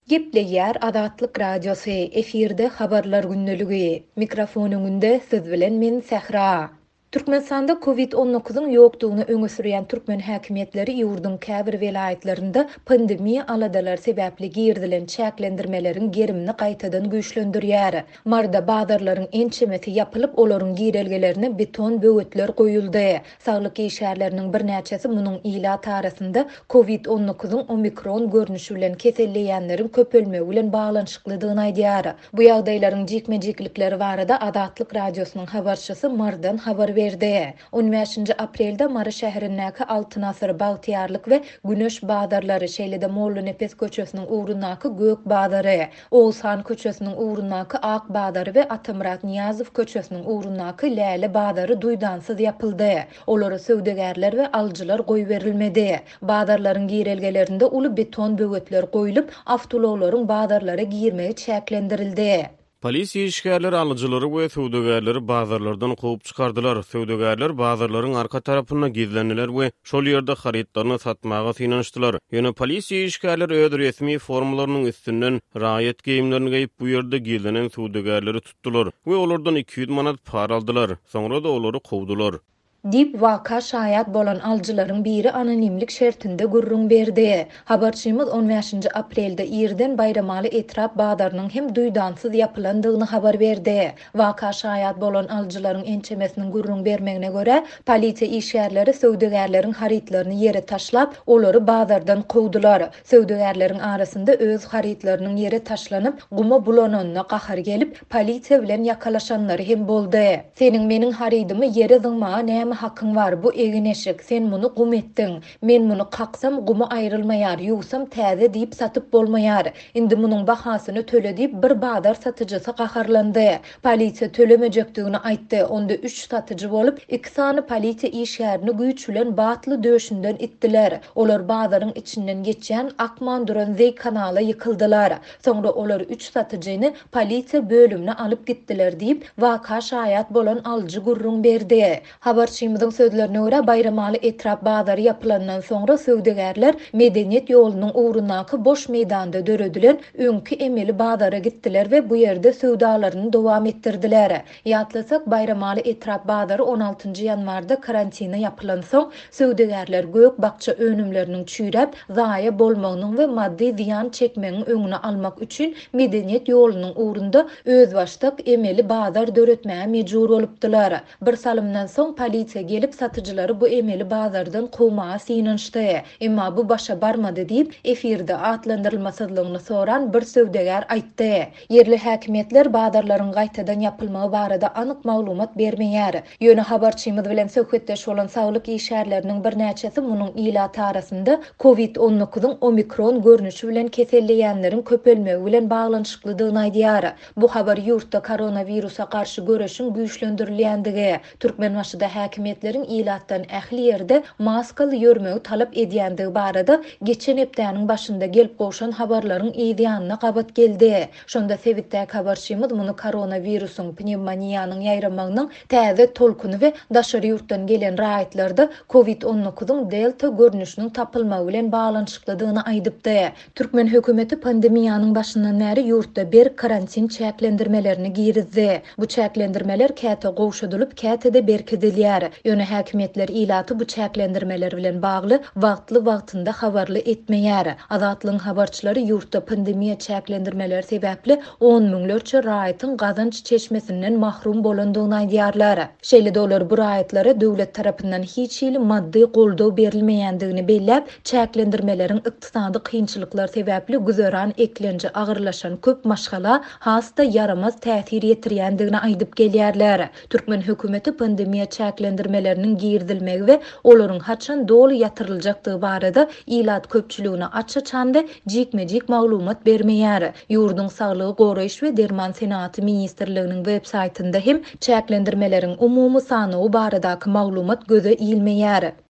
Gepleýär Azatlyk Radiosy, efirde Habarlar gündeligi. Mikrofon öňünde siz bilen men Sähra. Türkmenistanda Covid on dokuzyň ýokdugyny öňe sürýän türkmen häkimiýetleri ýurduň käbir welaýatlarynda pandemiýa aladalary sebäpli girizilen çäklendirmeleriň gerimini gaýtadan güýçlendirýär. Maryda bazarlaryň ençemesi ýapylyp, olaryň girelgelerine beton böwetler goýuldy. Saglyk işgärleriniň birnäçesi munuň ilat arasynda Covid on dokuzyň omikron görnüşi bilen keselleýänleriň köpelmegi bilen baglanyşyklydygyny aýdýar. Bu ýagdaýlaryň jikme-jiklikleri barada Azatlyk Radiosynyň habarçysy Marydan habar berdi. On bäşinji aprelde Mary şäherindäki Altyn asyr, Bagtyýarlyk we Güneş bazarlary, şeýle-de Mollanepes köçesiniň ugrundaky Gök bazary, Oguzhan köçesiniň ugrundaky Ak bazary we Atamyrat Nyýazow köçesiniň ugrundaky Läle bazary duýdansyz ýapyldy. Olara söwdagärler we alyjylar goýberilmedi. Bazarlaryň girelgelerinde uly beton böwetler goýlup, awtoulaglaryň bazarlara girmegi çäklendirildi. Polisiýa işgärleri alyjylary we söwdagärleri bazarlardan kowup çykardylar. Söwdagärler bazarlaryň arka tarapynda gizlendiler we şol ýerde harytlaryny satmaga synanyşdylar. Ýöne polisiýa işgärleri öz resmi formalarynyň üstünden raýat geýimlerini geýip, bu ýerde gizlenen söwdagärleri tutdular we olardan 200 manat para aldylar. Soňra-da olary kowdular. Diýip, waka şaýat bolan alyjylaryň biri anonimlik şertinde gürrüň berdi. Habarçymyz on bäşinji aprelde irden Baýramaly etrap bazarynyň hem duýdansyz ýapylandygyny habar berdi. Waka şaýat bolan alyjylaryň ençemesiniň gürrüň bermegine görä, polisiýa işgärleri söwdagärleriň harytlaryny ýere taşlap, olary bazardan kowdular. Söwdagärleriň arasynda öz harytlarynyň ýere taşlanyp, guma bulananyna gahary gelip, polisiýa bilen ýakalaşanlary hem boldy. Seniň meniň harydymy ýere zyňmaga näme hakyň bar, bu egin-eşik, sen muny gum etdiň. Men muny kaksam, gumy aýrylmaýar, ýuwsam täze diýip satyp bolmaýar. Indi munuň bahasyny töle diýip, bir bazar satyjysy gaharlandy. Polisiýa tölemejekdigini aýtdy. Onda üç satyjy bolup, iki sany polisiýa işgärini güýç bilen batly döşünden itdiler. Olar bazaryň içinden geçýän akman duran zeý kanala ýykyldylar. Soňra olar üç satyjyny polisiýa bölümine alyp gitdiler diýip, waka şaýat bolan alyjy gürrüň berdi. Habarçymyzyň sözlerine görä, Baýramaly etrap bazary ýapylandan soňra söwdagärler Medeniýet ýolunyň ugrundaky boş meýdanda döredilen öňki emeli bazara gitdiler we bu ýerde söwdalaryny dowam etdirdiler. Ýatlasak, Baýramaly etrap bazary on altynjy ýanwarda karantine ýapylansoň, söwdagärler gök-bakja önümleriniň çüýräp, zaýa bolmagynyň we maddy zyýan çekmegiň öňüni almak üçin Medeniýet ýolunyň ugrunda özbaşdak emeli bazar döretmäge mejbur bolupdylar. Bir salymdan soň polisiýa gelip satyjylary bu emeli bazardan kowmaga synanyşdy. Emma bu başa barmady diýip, efirde atlandyrylmasyzlygyny soran bir söwdagär aýtdy. Ýerli häkimiýetler bazarlaryň gaýtadan ýapylmagy barada anyk maglumat bermeýär. Ýöne habarçymyz bilen söhbetdeş bolan saglyk işgärleriniň birnäçesi munuň ilat arasynda Covid on dokuzyň omikron görnüşi bilen keselleýänleriň köpelmegi bilen baglanyşyklydygyny aýdýar. Bu habar ýurtda koronawirusa garşy göreşiň güýçlendirilýändigi, Türkmenbaşyda häkimiýetleriň ilatdan ähli ýerde maskaly ýörmegi talap edýändigi barada geçen hepdäniň başynda gelip gowşan habarlaryň yz ýanyna gabat geldi. Şonda sebitdäki habarçymyz muny koronawirusyň, pnewmoniýanyň ýaýramagynyň täze tolkuny we daşary ýurtdan gelen raýatlarda Covid on dokuzyň delta görnüşiniň tapylmagy bilen baglanyşyklydygyny aýdypdy. Türkmen hökümeti pandemiýanyň başyndan bäri ýurtda berk karantin çäklendirmelerini girizdi. Bu çäklendirmeler käte gowşadylyp, käte-de berkidilýär. Ýöne häkimiýetler ilaty bu çäklendirmeler bilen bagly wagtly-wagtynda habarly etmeýär. Azatlygyň habarçylary ýurtda pandemiýa çäklendirmeleri sebäpli on müňlerçe raýatyň gazanç çeşmesinden mahrum bolandygyny aýdýarlar. Şeýle-de olar bu raýatlara döwlet tarapyndan hiç hili maddy goldaw berilmeýändigini belläp, Çäklendirmeleriň ykdysady kynçylyklar sebäpli güzeran eklenji agyrlaşan köp maşgala has-da ýaramaz täsir ýetirýändigini aýdyp gelýärler. Türkmen hökümeti pandemiýa çäklendirmeleriniň girizilmegi we olaryň haçan doly ýatyryljakdygy barada ilat köpçüligine aç-açan we jikme-jik maglumat bermeýär. Ýurduň Saglygy goraýyş we derman senagaty ministrliginiň web saýtynda hem çäklendirmeleriň umumy sanawy baradaky maglumat göze ilmeýär.